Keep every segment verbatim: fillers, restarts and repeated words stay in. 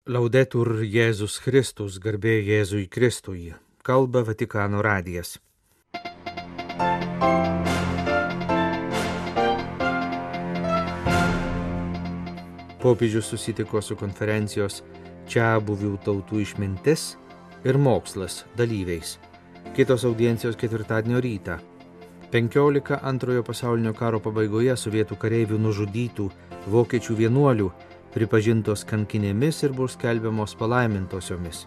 Laudetur Jėzus Kristus, garbė Jėzui Kristui, kalba Vatikano radijas. Popiežius susitiko su konferencijos Čiabuvių tautų išmintis ir mokslas dalyviais. Kitos audiencijos ketvirtadienio rytą. penkiolika antrojo pasaulinio karo pabaigoje sovietų kareivių nužudytų vokiečių vienuolių pripažintos kankinėmis ir bus skelbiamos palaimintosiomis.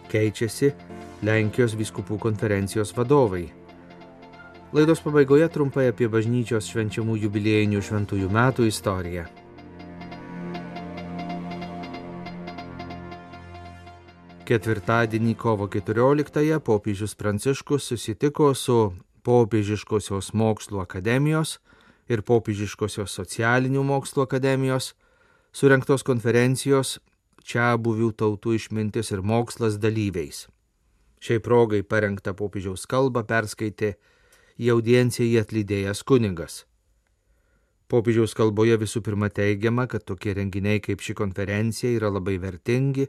Keičiasi Lenkijos vyskupų konferencijos vadovai. Laidos pabaigoje trumpai apie bažnyčios švenčiamų jubiliejinių šventųjų metų istoriją. Ketvirtadienį kovo keturioliktąją popiežius Pranciškus susitiko su Popiežiškosios mokslų akademijos ir Popiežiškosios socialinių mokslų akademijos surengtos konferencijos Čiabuvių tautų išmintis ir mokslas dalyviais. Šiai progai parengtą popiežiaus kalbą perskaitė į audienciją atlydėjęs kunigas. Popiežiaus kalboje visų pirma teigiama, kad tokie renginiai kaip ši konferencija yra labai vertingi,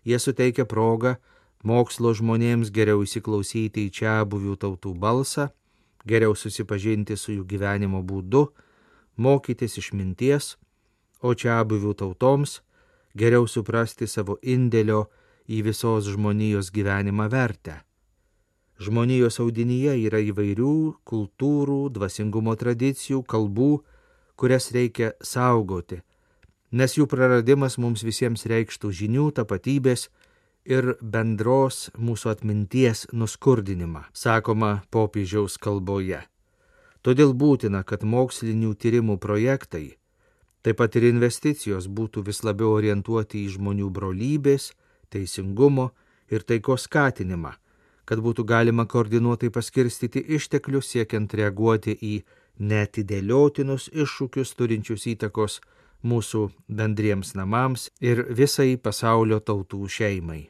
jie suteikia progą mokslo žmonėms geriau įsiklausyti į čiabuvių tautų balsą, geriau susipažinti su jų gyvenimo būdu, mokytis išminties, o čiabuvių tautoms geriau suprasti savo indėlio į visos žmonijos gyvenimą vertę. Žmonijos audinyje yra įvairių kultūrų, dvasingumo tradicijų, kalbų, kurias reikia saugoti, nes jų praradimas mums visiems reikštų žinių, tapatybės ir bendros mūsų atminties nuskurdinimą, sakoma popiežiaus kalboje. Todėl būtina, kad mokslinių tyrimų projektai, taip pat ir investicijos būtų vis labiau orientuoti į žmonių brolybės, teisingumo ir taikos skatinimą, kad būtų galima koordinuotai paskirstyti išteklius siekiant reaguoti į neatidėliotinus iššūkius turinčius įtakos mūsų bendriems namams ir visai pasaulio tautų šeimai.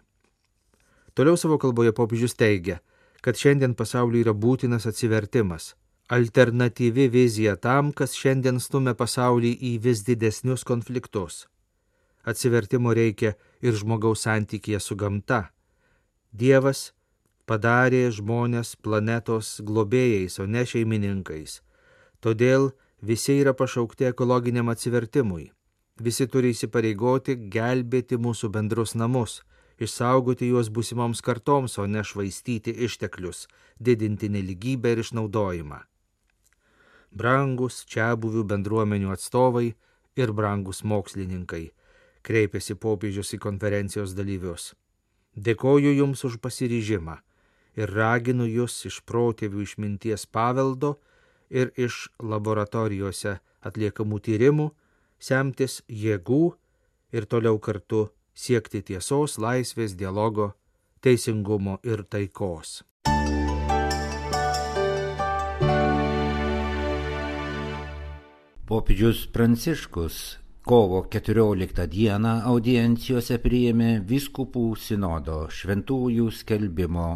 Toliau savo kalboje popiežius teigia, kad šiandien pasauliui yra būtinas atsivertimas, alternatyvi vizija tam, kas šiandien stumia pasaulį į vis didesnius konfliktus. Atsivertimo reikia ir žmogaus santykyje su gamta. Dievas padarė žmonės planetos globėjais, o ne šeimininkais. Todėl visi yra pašaukti ekologiniam atsivertimui. Visi turi įsipareigoti gelbėti mūsų bendrus namus, išsaugoti juos būsimoms kartoms, o ne švaistyti išteklius, didinti nelygybę ir išnaudojimą. Brangus čiabuvių bendruomenių atstovai ir brangus mokslininkai, kreipėsi popiežius į konferencijos dalyvius. Dėkoju jums už pasiryžimą ir raginu jus iš protėvių išminties paveldo ir iš laboratorijose atliekamų tyrimų semtis jėgų ir toliau kartu siekti tiesos, laisvės, dialogo, teisingumo ir taikos. Popiežius Pranciškus kovo keturioliktą dieną audiencijose priėmė vyskupų sinodo šventųjų skelbimo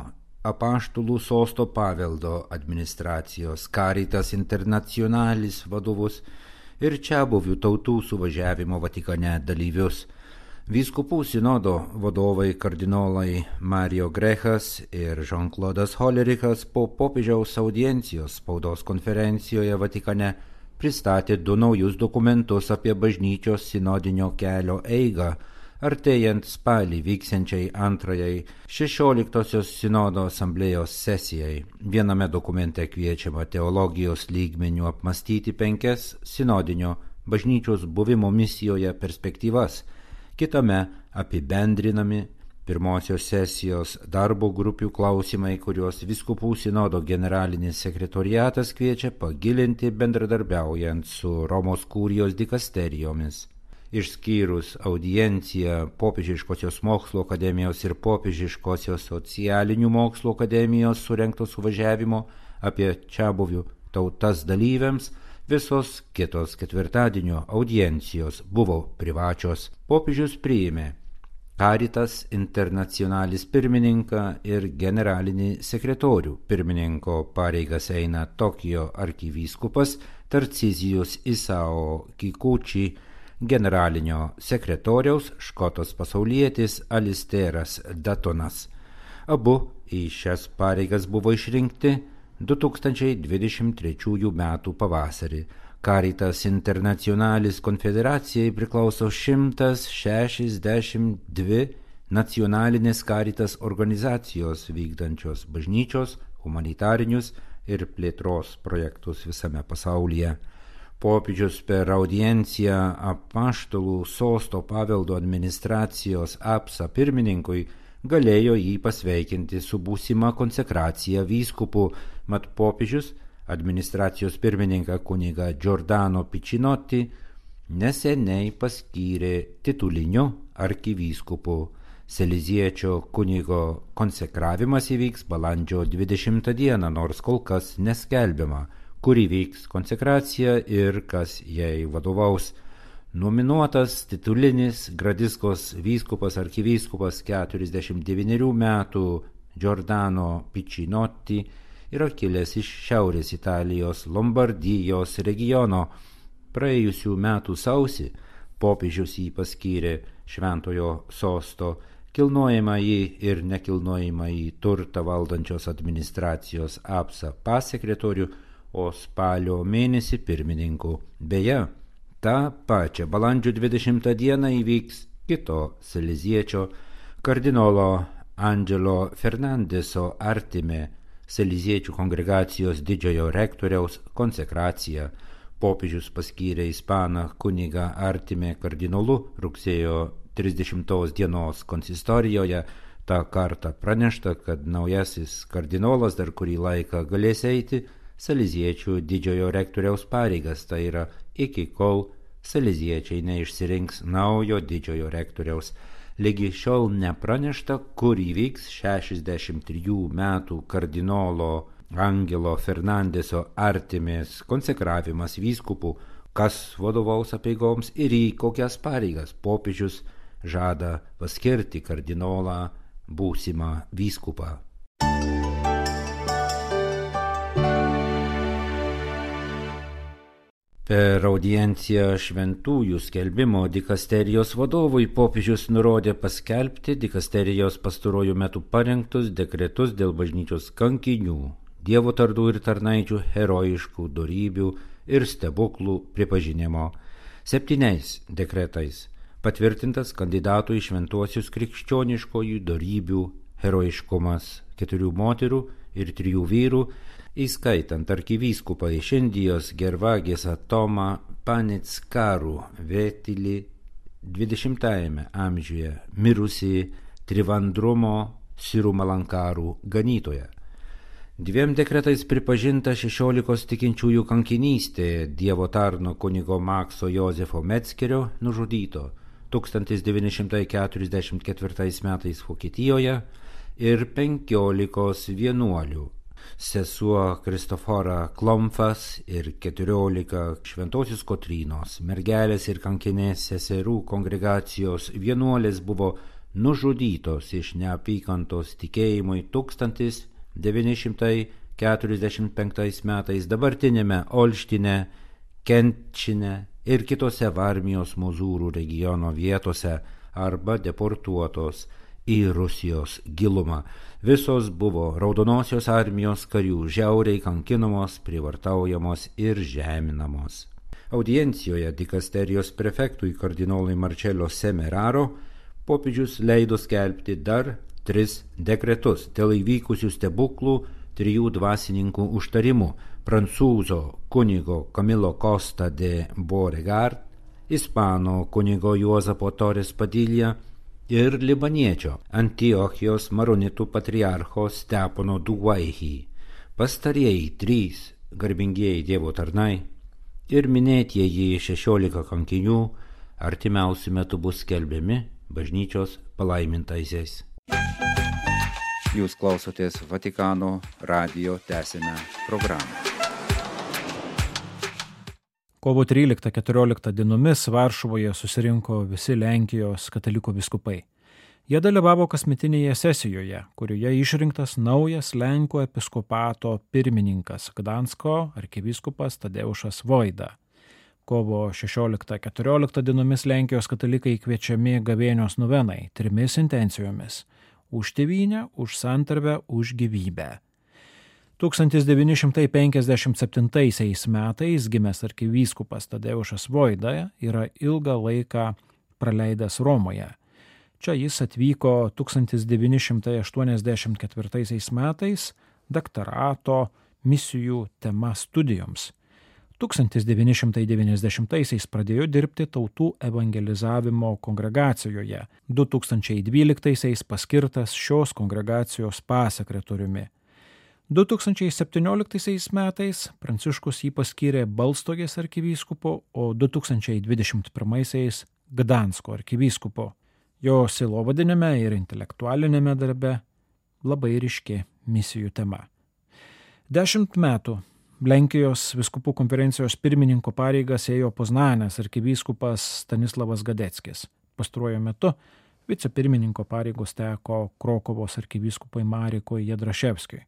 apaštalų sosto paveldo administracijos Caritas Internationalis vadovus ir čiabuvių tautų suvažiavimo Vatikane dalyvius. Vyskupų sinodo vadovai kardinolai Mario Grechas ir Jean-Claudas Hollerichas po popiežiaus audiencijos spaudos konferencijoje Vatikane pristatė du naujus dokumentus apie bažnyčios sinodinio kelio eigą, artėjant spalį vyksiančiai antrajai šešioliktosios sinodo asamblėjos sesijai. Viename dokumente kviečiama teologijos lygmeniu apmastyti penkias sinodinio bažnyčios buvimo misijoje perspektyvas, kitame apibendrinami pirmosios sesijos darbo grupių klausimai, kuriuos vyskupų sinodo generalinis sekretoriatas kviečia pagilinti bendradarbiaujant su Romos kurijos dikasterijomis. Išskyrus audienciją Popiežiškosios mokslo akademijos ir Popiežiškosios socialinių mokslo akademijos surengto suvažiavimo apie čiabuvių tautas dalyviams, visos kitos ketvirtadienio audiencijos buvo privačios. Popiežius priėmė Caritas Internationalis pirmininką ir generalinį sekretorių. Pirmininko pareigas eina Tokijo arkivyskupas Tarcizijus Isao Kikuchi, generalinio sekretoriaus škotas pasaulietis Alisteras Datonas. Abu į šias pareigas buvo išrinkti du tūkstančiai dvidešimt trečiųjų metų pavasarį. Caritas Internationalis konfederacijai priklauso šimtas šešiasdešimt dvi nacionalinės Caritas organizacijos vykdančios bažnyčios, humanitarinius ir plėtros projektus visame pasaulyje. Popiežius per audienciją apaštalų sosto paveldo administracijos apsa pirmininkui galėjo jį pasveikinti su būsima konsekracija vyskupu, mat popiežius administracijos pirmininką kunigą Giordano Piccinotti neseniai paskyrė tituliniu arkivyskupu. Seliziečio kunigo konsekravimas įvyks balandžio dvidešimtą dieną, nors kol kas neskelbiama, kur įvyks konsekracija ir kas jai vadovaus. Nominuotas titulinis Gradiskos vyskupas arkivyskupas keturiasdešimt devynerių metų Giordano Piccinotti yra kilęs iš Šiaurės Italijos Lombardijos regiono. Praėjusių metų sausį popiežius jį paskyrė šventojo sosto kilnojamąjį ir nekilnojamąjį turtą valdančios administracijos apsa pasekretorių, o spalio mėnesį pirmininku. Beje, tą pačią balandžio dvidešimtą dieną įvyks kito seliziečio kardinolo Angelo Fernandeso Artime Seliziečių kongregacijos didžiojo rektoriaus konsekracija. Popiežius paskyrė ispaną kunigą Artime kardinolu rugsėjo trisdešimtos dienos konsistorijoje. Ta kartą pranešta, kad naujasis kardinolas dar kurį laiką galės eiti Seliziečių didžiojo rektoriaus pareigas, tai yra iki kol seliziečiai neišsirinks naujo didžiojo rektoriaus. Lygi šiol nepranešta, kur įvyks šešiasdešimt trijų metų kardinolo Angelo Fernandeso Artimės konsekravimas vyskupu, kas vadovaus apeigoms ir į kokias pareigas. Popiežius žada paskirti kardinolą būsimą vyskupą. Per audienciją šventųjų skelbimo dikasterijos vadovui popiežius nurodė paskelbti dikasterijos pastaruoju metu parengtus dekretus dėl bažnyčios kankinių, dievo tardų ir tarnaičių herojiškų dorybių ir stebuklų pripažinimo. Septyniais dekretais patvirtintas kandidatų į šventuosius krikščioniškojų dorybių herojiškumas keturių moterų ir trijų vyrų, įskaitant arkivyskupą iš Indijos Gervagės Tomą Panickarų Vetilį dvidešimtajame amžiuje mirusį Trivandrumo Sirumalankarų ganytoją. Dviem dekretais pripažinta šešiolikos tikinčiųjų kankinystė Dievo tarno kunigo Makso Jozefo Metzgerio nužudyto tūkstantis devyni šimtai keturiasdešimt ketvirtais metais Vokietijoje ir penkiolikos vienuolių. Sesuo Kristofora Klomfas ir keturiolika šventosios Kotrynos mergelės ir kankinės seserų kongregacijos vienuolės buvo nužudytos iš neapykantos tikėjimui tūkstantis devyni šimtai keturiasdešimt penktais metais dabartinėme Olštine, Kentčine ir kitose Varmijos Mozūrų regiono vietose arba deportuotos į Rusijos gilumą. Visos buvo Raudonosios armijos karių žiauriai kankinamos, privartaujamos ir žeminamos. Audiencijoje dikasterijos prefektui kardinolui Marcello Semeraro popiežius leido skelbti dar tris dekretus dėl įvykusių stebuklų trijų dvasininkų užtarimų: prancūzo kunigo Camilo Costa de Beauregard, ispano kunigo Juozapo Torres Padilla ir libaniečio Antiochijos maronitų patriarcho Stepono Duguaihi. Pastarieji trys garbingieji Dievo tarnai ir minėtieji šešiolika kankinių artimiausiu metu bus skelbiami bažnyčios palaimintaisiais. Jūs klausotės Vatikano radijo tęsinę programą. Kovo tryliktą keturioliktą dienomis Varšuvoje susirinko visi Lenkijos katalikų vyskupai. Jie dalyvavo kasmetinėje sesijoje, kurioje išrinktas naujas Lenkų episkopato pirmininkas Gdansko arkivyskupas Tadeušas Voida. Kovo šešioliktą keturioliktą dienomis Lenkijos katalikai kviečiami gavėnios novenai trimis intencijomis – už tėvynę, už santarvę, už gyvybę. tūkstantis devyni šimtai penkiasdešimt septintaisiais metais gimęs arkivyskupas Tadeušas Voida yra ilgą laiką praleidęs Romoje. Čia jis atvyko tūkstantis devyni šimtai aštuoniasdešimt ketvirtaisiais metais daktarato misijų tema studijoms. tūkstantis devyni šimtai devyniasdešimtaisiais pradėjo dirbti tautų evangelizavimo kongregacijoje, du tūkstančiai dvyliktaisiais paskirtas šios kongregacijos pasekretoriumi. du tūkstančiai septynioliktaisiais metais Pranciškus jį paskyrė Balstogės arkivyskupu, o du tūkstančiai dvidešimt pirmaisiais Gdansko arkivyskupu. Jo sielovadinime ir intelektualinėme darbe labai ryški misijų tema. Dešimt metų Lenkijos vyskupų konferencijos pirmininko pareigas ėjo Poznanės arkivyskupas Stanislavas Gadeckis. Pastaruoju metu vicepirmininko pareigos teko Krokuvos arkivyskupui Marekui Jedraševskiui.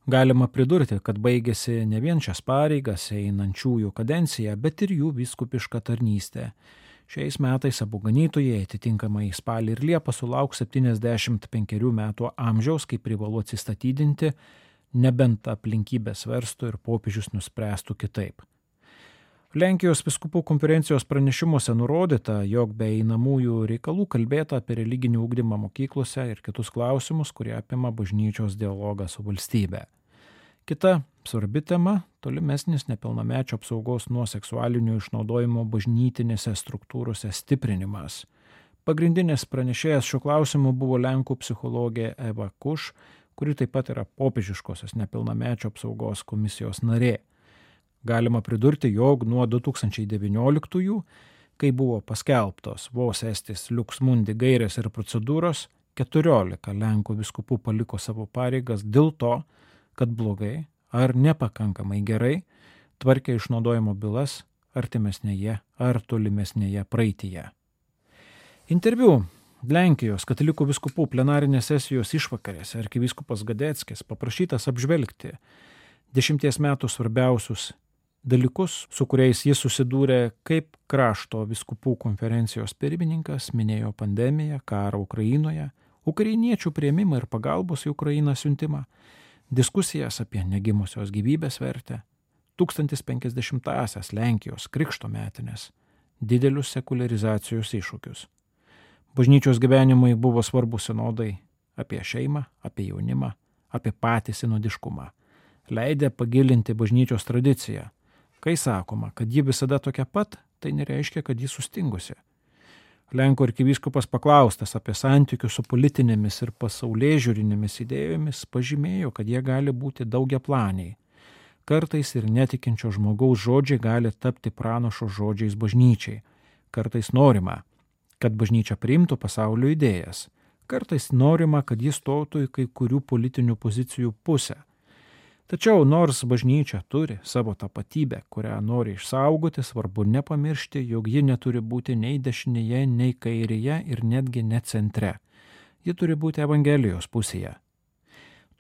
Galima pridurti, kad baigėsi ne vien šias pareigas einančiųjų kadencija, bet ir jų vyskupiška tarnystė. Šiais metais abu ganytojai atitinkamai spalį ir liepą sulauks septyniasdešimt penkerių metų amžiaus, kai privalu atsistatydinti, nebent aplinkybės verstų ir popiežius nuspręstų kitaip. Lenkijos vyskupų konferencijos pranešimuose nurodyta, jog be einamųjų reikalų kalbėta apie religinį ugdymą mokyklose ir kitus klausimus, kurie apima bažnyčios dialogą su valstybe. Kita svarbi tema – tolimesnis nepilnamečio apsaugos nuo seksualinio išnaudojimo bažnytinėse struktūrose stiprinimas. Pagrindinės pranešėjas šiuo klausimu buvo Lenkų psichologė Eva Kuš, kuri taip pat yra popiežiškosios nepilnamečio apsaugos komisijos narė. Galima pridurti, jog nuo du tūkstančiai devynioliktųjų, kai buvo paskelbtos vos estis Lux Mundi gairės ir procedūros, keturiolika Lenkų vyskupų paliko savo pareigas dėl to, kad blogai ar nepakankamai gerai tvarkė išnaudojimo bylas artimesnėje ar tolimesnėje praeityje. Interviu Lenkijos katalikų vyskupų plenarinės sesijos išvakarėse arkivyskupas Gadeckis paprašytas apžvelgti dešimties metų svarbiausius dalykus, su kuriais jis susidūrė kaip krašto vyskupų konferencijos pirmininkas, minėjo pandemiją, karą Ukrainoje, ukrainiečių priėmimą ir pagalbos į Ukrainą siuntimą, diskusijas apie negimusios gyvybės vertę, tūkstantis penkiasdešimtąsias Lenkijos krikšto metinės, didelius sekuliarizacijos iššūkius. Bažnyčios gyvenimui buvo svarbus sinodai apie šeimą, apie jaunimą, apie patį sinodiškumą. Leidė pagilinti bažnyčios tradiciją. Kai sakoma, kad ji visada tokia pat, tai nereiškia, kad ji sustingusi. Lenkų arkivyskupas paklaustas apie santykius su politinėmis ir pasaulėžiūrinėmis idėjomis pažymėjo, kad jie gali būti daugiaplaniai. Kartais ir netikinčio žmogaus žodžiai gali tapti pranašo žodžiais bažnyčiai. Kartais norima, kad bažnyčia priimtų pasaulio idėjas. Kartais norima, kad jis stotų į kai kurių politinių pozicijų pusę. Tačiau nors bažnyčia turi savo tapatybę, kurią nori išsaugoti, svarbu nepamiršti, jog ji neturi būti nei dešinėje, nei kairėje ir netgi ne centre. Ji turi būti Evangelijos pusėje.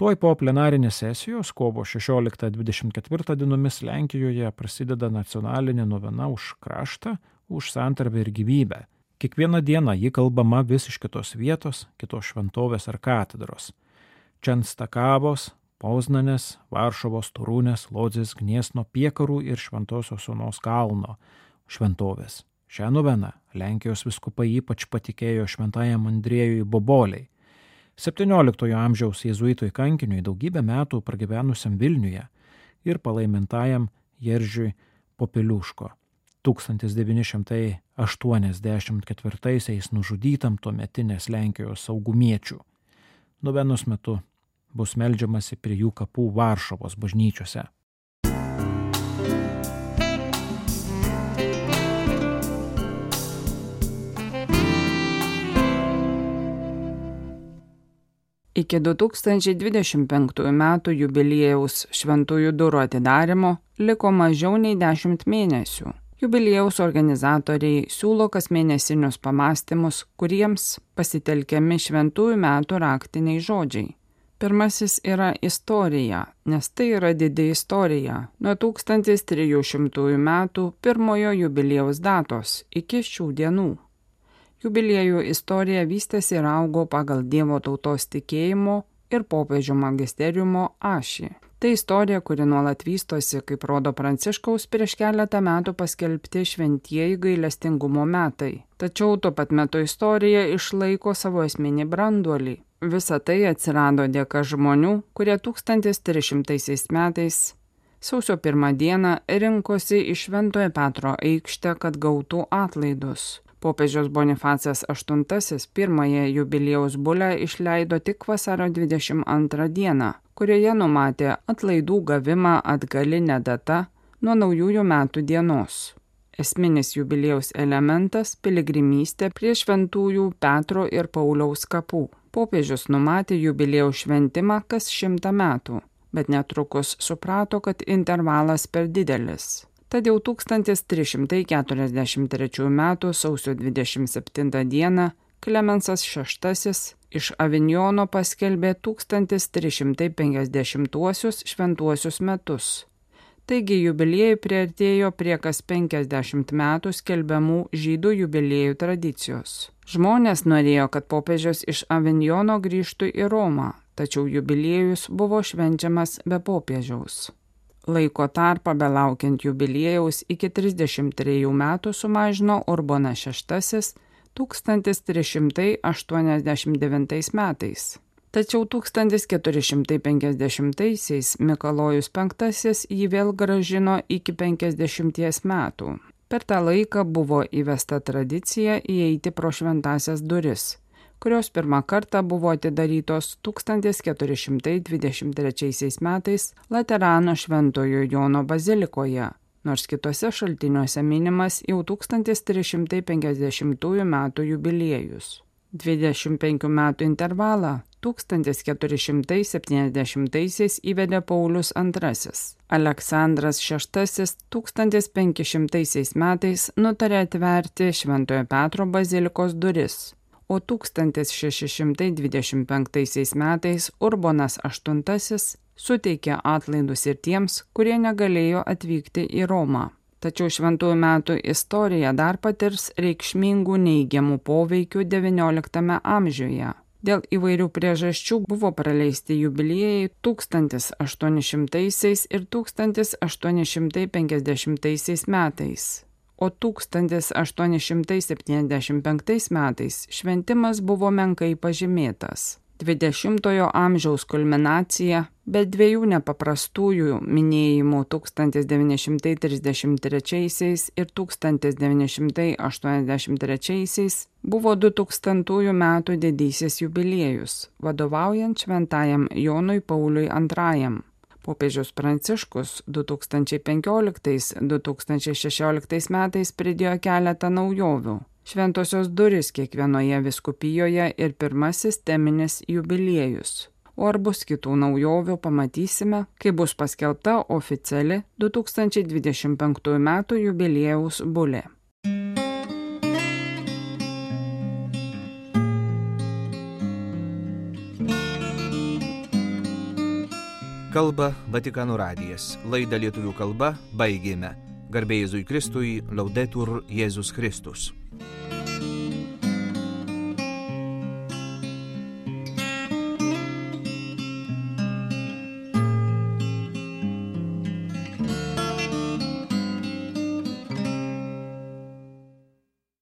Tuoj po plenarinės sesijos, kovo šešioliktą dvidešimt ketvirtą dienomis Lenkijoje prasideda nacionalinė novena už kraštą, už santarvę ir gyvybę. Kiekvieną dieną ji kalbama vis iš kitos vietos, kitos šventovės ar katedros. Čenstakavos, Poznanės, Varšuvos, Torunės, Lodzės, Gniesno, Piekarų ir Šventosios Onos kalno šventovės. Šią noveną Lenkijos vyskupai ypač patikėjo šventajam Andriejui Boboliai. septynioliktojo amžiaus jėzuitui kankiniui daugybę metų pragyvenusiam Vilniuje ir palaimintajam Jeržiui Popeliuško. tūkstantis devyni šimtai aštuoniasdešimt ketvirtaisiais nužudytam tuometinės Lenkijos saugumiečių. Novenos metu bus meldžiamasi prie jų kapų Varšuvos bažnyčiose. Iki du tūkstančiai dvidešimt penktųjų metų jubiliejaus šventųjų durų atidarimo liko mažiau nei dešimt mėnesių. Jubiliejaus organizatoriai siūlo kasmėnesinius pamąstymus, kuriems pasitelkiami šventųjų metų raktiniai žodžiai. Pirmasis yra istorija, nes tai yra didi istorija nuo tūkstantis trijų šimtųjų metų pirmojo jubiliejaus datos iki šių dienų. Jubiliejų istorija vystėsi ir augo pagal Dievo tautos tikėjimo ir popiežių magisteriumo ašį. Tai istorija, kuri nuolat vystosi, kaip rodo Pranciškaus prieš keletą metų paskelbti šventieji gailestingumo metai. Tačiau tuo pat metu istorija išlaiko savo esminį branduolį. Visa tai atsirado dėka žmonių, kurie tūkstantis trys šimtaisiais metais sausio pirmą dieną rinkosi į Šventojo Petro aikštę, kad gautų atlaidus. Popiežius Bonifacas aštuntasis pirmąją jubiliejaus bulę išleido tik vasario dvidešimt antrą dieną, kurioje numatė atlaidų gavimą atgaline data nuo naujųjų metų dienos. Esminis jubiliejaus elementas – piligrimystė prie šventųjų Petro ir Pauliaus kapų. Popiežius numatė jubiliejaus šventimą kas šimtą metų, bet netrukus suprato, kad intervalas per didelis. Tad jau tūkstantis trys šimtai keturiasdešimt trečiųjų metų sausio dvidešimt septintą dieną Klemensas šeštasis iš Avinjono paskelbė tūkstantis trys šimtai penkiasdešimtuosius šventuosius metus. Taigi jubiliejai priartėjo prie kas penkiasdešimt metų skelbiamų žydų jubiliejų tradicijos. Žmonės norėjo, kad popiežius iš Avinjono grįžtų į Romą, tačiau jubiliejus buvo švenčiamas be popiežiaus. Laiko tarpą belaukiant jubiliejaus iki trisdešimt trejų metų sumažino Urbonas šeštasis tūkstantis trys šimtai aštuoniasdešimt devintais metais. Tačiau tūkstantis keturi šimtai penkiasdešimtaisiais Mikalojus penktasis jį vėl grąžino iki penkiasdešimties metų. Per tą laiką buvo įvesta tradicija įeiti pro šventąsias duris, kurios pirmą kartą buvo atidarytos tūkstantis keturi šimtai dvidešimt trečiaisiais metais Laterano Šventojo Jono bazilikoje, nors kitose šaltiniuose minimas jau tūkstantis trys šimtai penkiasdešimtųjų metų jubiliejus. dvidešimt penkių metų intervalą tūkstantis keturi šimtai septyniasdešimtaisiais įvedė Paulius antrasis. Aleksandras šeštasis tūkstantis penki šimtaisiais metais nutarė atverti Šventojo Petro bazilikos duris, o tūkstantis šeši šimtai dvidešimt penktaisiais metais Urbonas aštuntasis suteikė atlaidus ir tiems, kurie negalėjo atvykti į Romą. Tačiau šventųjų metų istorija dar patirs reikšmingų neigiamų poveikių devynioliktame amžiuje. Dėl įvairių priežasčių buvo praleisti jubiliejai tūkstantis aštuoni šimtaisiais ir tūkstantis aštuoni šimtai penkiasdešimtaisiais metais. O tūkstantis aštuoni šimtai septyniasdešimt penktais metais šventimas buvo menkai pažymėtas. dvidešimtojo amžiaus kulminacija, bet dviejų nepaprastųjų minėjimų tūkstantis devyni šimtai trisdešimt trečiaisiais ir tūkstantis devyni šimtai aštuoniasdešimt trečiaisiais buvo du tūkstantųjų metų didysis jubiliejus, vadovaujant šventajam Jonui Pauliui antrajam. Popiežius Pranciškus du tūkstančiai penkioliktais - du tūkstančiai šešioliktais metais pridėjo keletą naujovių. Šventosios durys kiekvienoje vyskupijoje ir pirmasis teminis jubiliejus. O ar bus kitų naujovių, pamatysime, kai bus paskelbta oficiali du tūkstančiai dvidešimt penktųjų metų jubiliejaus bulė. Kalba Vatikano radijas. Laidą lietuvių kalba baigėme. Garbė Jėzui Kristui, Laudetur Jėzus Kristus.